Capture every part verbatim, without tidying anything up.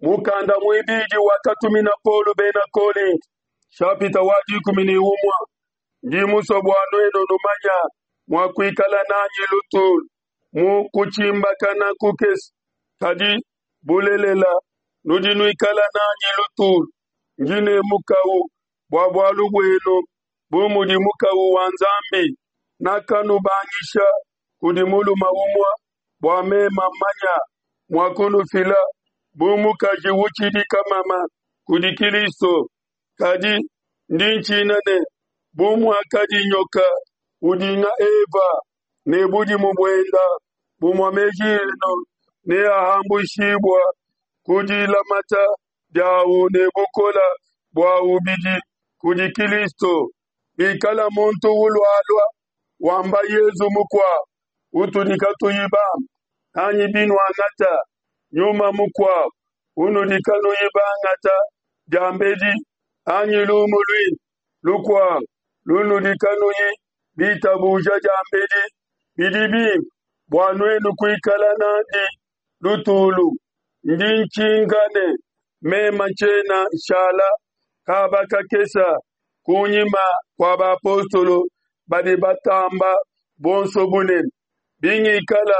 Mukanda muibidi wakatumina Paulo bena Kolinti, nshapita wa dikumi ne umue. Ndi musue bua nuenu numanya mua kuikala nanyi lutulu mu kutshimbakana kukese, kadi bulelela nudi nuikala nanyi lutulu. Ndi ne mukawu bua bualu buenu bu mudi mukawu wa Nzambi. Nakanubangisha kudi mulume umue bua meme mmanya mua kunufila bu mukaji utshidi kamama kudi Kilisto. Kadi ndi ntshina ne, bu muakadi nyoka udinga Eva ne budimu buenda, bumue meji enu neahambuishibua ku dilamata diawu ne bukola buawu bidi kudi Kilisto. Bikala muntu ulualua wamba Yezu mukuabu utudi katuyi bambe, anyi binuangata nyuma mukuabu unudi kanuyi bangata diambedi, anyi lumu luimpe lukuabu lunudi kanuyi bitabuja diambedi, bidi bimpe bua nuenu kuikala nandi lutulu. Ndi ntshinka ne meme tshiena nshala kaba kakese kunyima kua bapostolo badi batamba bonso bunene, bingikala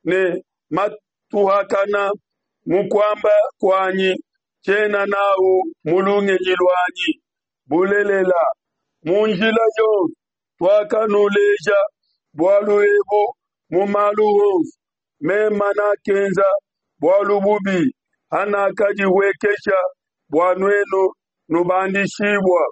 ne matuhakana mu kuamba kuanyi, tshiena n'au mu lungenyi luanyi. Bulelela, mu njila yonso tuakanuleja bualu ebu mu malu onso. Meme nakenza bualu bubi hanakadihuekesha bua nuenu nubandishibua,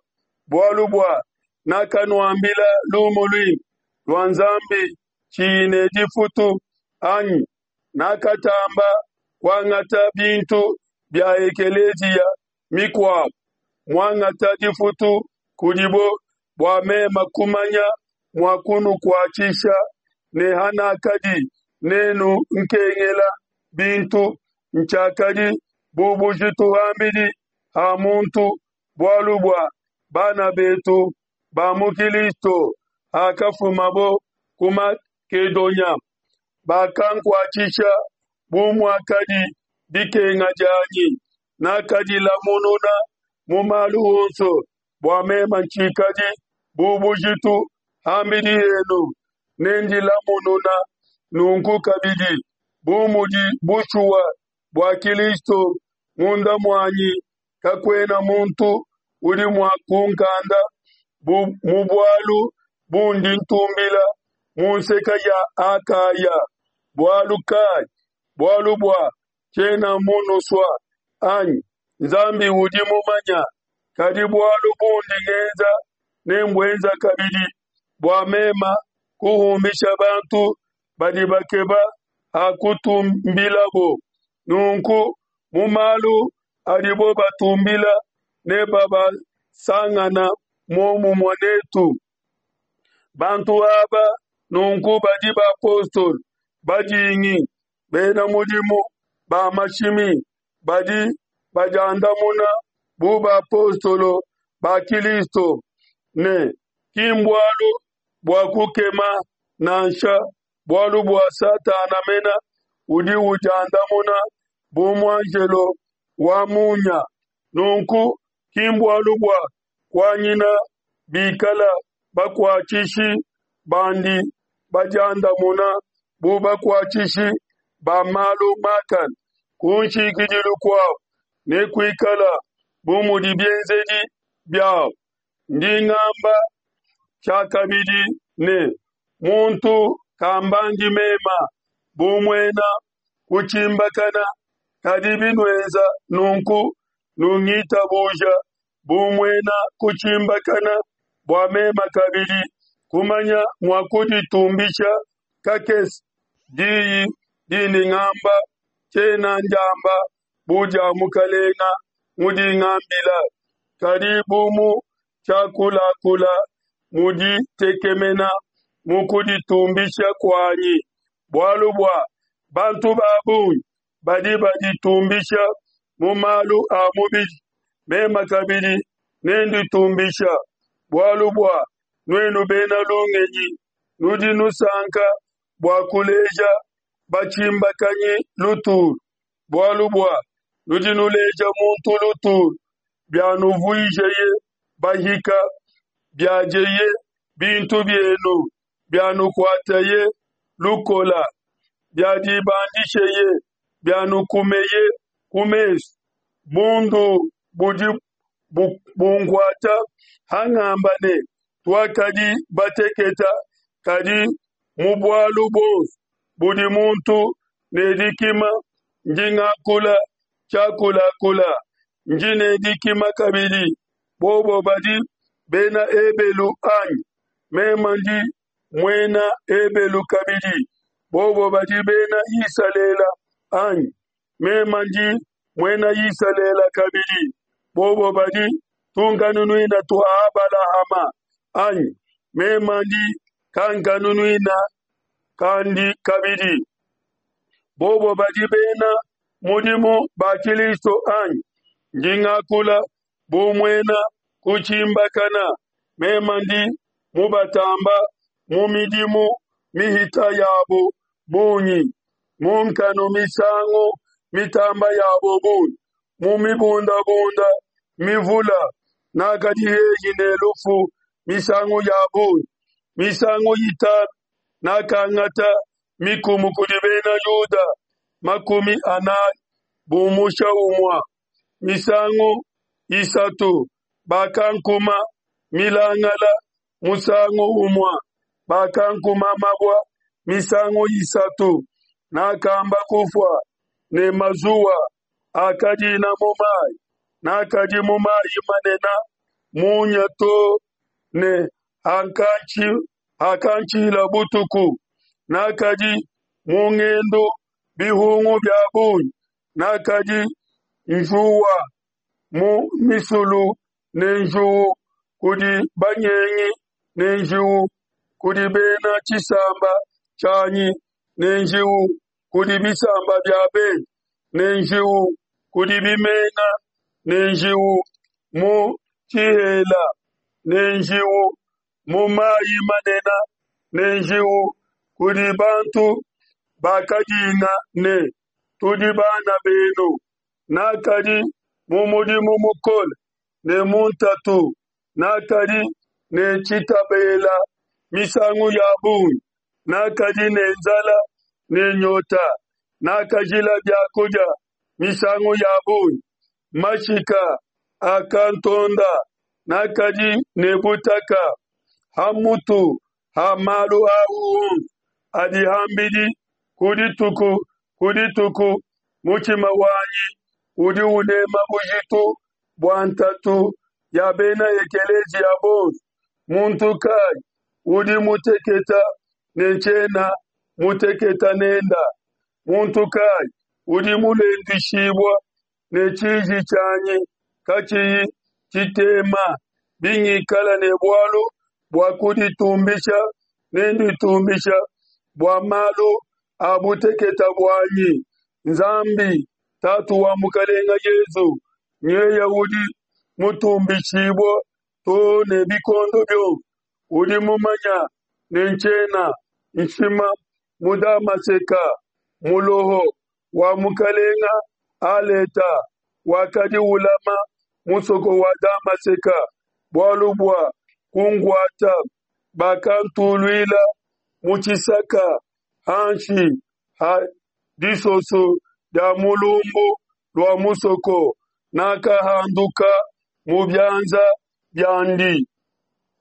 bualu bua nakanuambila lumu luimpe lua Nzambi tshiyi ne difutu, anyi? Nakatamba kuangata bintu bia ekeleziya mikuabo, muangata difutu kudibo bua meme kumanya mua kunukuatshisha. Ne hanakadi nenu nkengela bintu, ntshiakadi bu bujitu ham'bidi ha muntu, bualu bua bana betu ba mu Kilisto, hakafumabo ku Makedonia, bakankuatshisha bu muakadi dikenga dianyi. Nakadilamununa mu malu onso bua meme tshikadi bu bujitu ham'bidi henu. Nendilamununa nunku kabidi, bu mudi bushuwa bua Kilisto munda muanyi. Kakuena muntu udi mua kunkanda mu bualu bundi ntumbila mu nseke ya Akaya. Bualu kai? Bualu bua tshiena munusua, anyi? Nzambi udi mumanya. Kadi bualu bundi ngenza nembuenza kabidi, bua meme kuhumbisha bantu badi bakeba ha kutumbilabo. Nunku mu malu adibo batumbila nebabasangana muomumue netu. Bantu aba nunku badi bapostolo badingi, bena mudimu ba mashimi, badi badiandamuna bu bapostolo ba Kilisto. Ne ki mbualu bua kukema nansha, bualu bua Satana mene udi udiandamuna bu muanjelo wa munya. Nunku ki mbualu bua kuanyina bikala bakuatshishi bandi badiandamuna bu bakuatshishi ba malu makane. Ku nshikidilu kuabo nekuikala bu mudi bienzedi biabo. Ndi ngamba tshiakabidi ne, muntu kambandi mema bu muena kutshimbakana, kadi binuenza nunku, nungitabuja bu muena kutshimbakana, bua meme kabidi kumanya mua kuditumbisha kakese. Diyi dindi ngamba tshiena ndiamba bu dia Mukalenga mudi ngambila, kadi bu mu tshiakulakula mu ditekemena mu kuditumbisha kuanyi. Bualu bua bantu ba bungi badi baditumbisha mu malu a mubidi, meme kabidi nenditumbisha. Bualu bua nuenu bena lungenyi nudi nusanka bua kuleja batshimbakanyi lutulu, bualu bua Nudi nuleja muntu lutulu, bianuvuijeye bahika, biadieye bintu bienu, bianukuateye lukola, biadibandisheye, bianukumeye ku mesu. Bundu budi bunkuata hangamba ne, Tuakadi bateketa, kadi mu bualu buonso budi muntu ne dikima, ndi ngakula tshiakulakula, ndi ne dikima kabidi. Bobo badi Bena Ebelu, anyi? Meme ndi Muena Ebelu kabidi. Bobo badi Bena Isalele, anyi? Meme ndi Muena Isalele kabidi. Bobo badi tunkanunuina tua Abalahama, anyi? Meme ndi kankanunuina kandi kabidi. Bobo badi bena mudimu ba Kilisto, anyi? Ndi ngakula bu muena kutshimbakana, meme ndi mubatamba mu midimu mihita yabo bungi, mu nkanu misangu mitamba yabo bungi, mu mibundabunda mivula nakadi hehi ne lufu misangu ya bungi. Misangu itanu nakangata mikumu kudi bena Yuda makumi anai bumusha umue. Misangu isatu bakankuma milangala musangu umue, bakankuma mabua misangu isatu, nakamba kufua ne mazuwa akadina mu mai, nakadi mu mai manene munya to ne hakantshila butuku, nakadi mu ngendu bihungu bia bungi, nakadi njuwa mu misulu ne njiu kudi banyengi ne njiu kudi bena tshisamba tshianyi ne njiu kudi bisamba bia bende ne njiu kudi bimenga ne njiu mu tshihela ne njiu mu mai manene ne njiu kudi bantu bakadinga ne, Tudi bana benu. Nakadi mu mudimu mukole ne mu ntatu, nakadi ne tshitabela misangu ya bungi, nakadi ne nzala ne nyota, nakajila bia kudia misangu ya bungi, mashika akantonda, nakadi ne butaka. Ha mutu ha malu au onso adi ham'bidi ku dituku ku dituku, mutshima wanyi udi unema bujitu bua ntatu ya bena ekelesia bonso. Muntu kai udi muteketa ne tshiena muteketa nenda? Muntu kai udi mulenduishibua ne tshiji tshianyi katshiyi tshitema? Bingikala ne bualu bua kuditumbisha, nenditumbisha bua malu a buteketa buanyi. Nzambi, Tatu wa Mukelenge Yesu, nyeye udi mutumbishibue too ne bikondo bionso, udi mumanye ne tshiena nshima. Mu Damaseke, muloho wa mukelenge Aleta wakadi ulama musoko wa Damaseke bualu bua kunkuata, bakantuluila mu tshisaka hanshi ha disoso dia mu lumbu lua musoko, nakahanduka mu bianza biandi.